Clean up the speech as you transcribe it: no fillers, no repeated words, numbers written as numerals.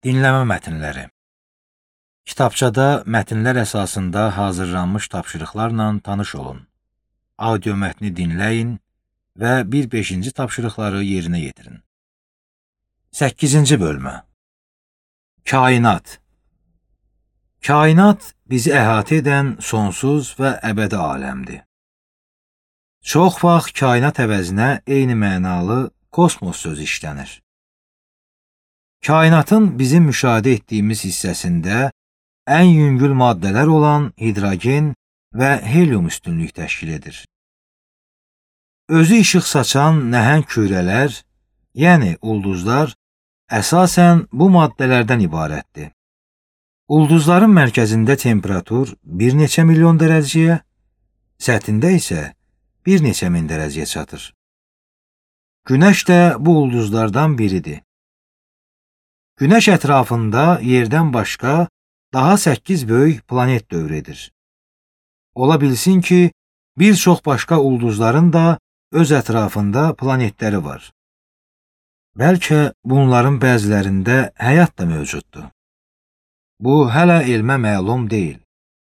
Dinləmə mətnləri. Kitabçada mətnlər əsasında hazırlanmış tapşırıqlarla tanış olun. Audio mətni dinləyin və 1-5-ci tapşırıqları yerinə yetirin. 8-ci bölmə. Kainat. Kainat bizi əhatə edən sonsuz və əbədi aləmdir. Çox vaxt kainat əvəzinə eyni mənalı kosmos sözü işlənir. Kainatın bizim müşahidə etdiyimiz hissəsində ən yüngül maddələr olan hidrogen və helium üstünlük təşkil edir. Özü işıq saçan nəhəng kürələr, yəni ulduzlar, əsasən bu maddələrdən ibarətdir. Ulduzların mərkəzində temperatur bir neçə milyon dərəcəyə, səthində isə bir neçə min dərəcəyə çatır. Günəş də bu ulduzlardan biridir. Günəş ətrafında yerdən başqa daha 8 böyük planet dövr edir. Ola bilsin ki, bir çox başqa ulduzların da öz ətrafında planetləri var. Bəlkə bunların bəzilərində həyat da mövcuddur. Bu hələ elmə məlum deyil.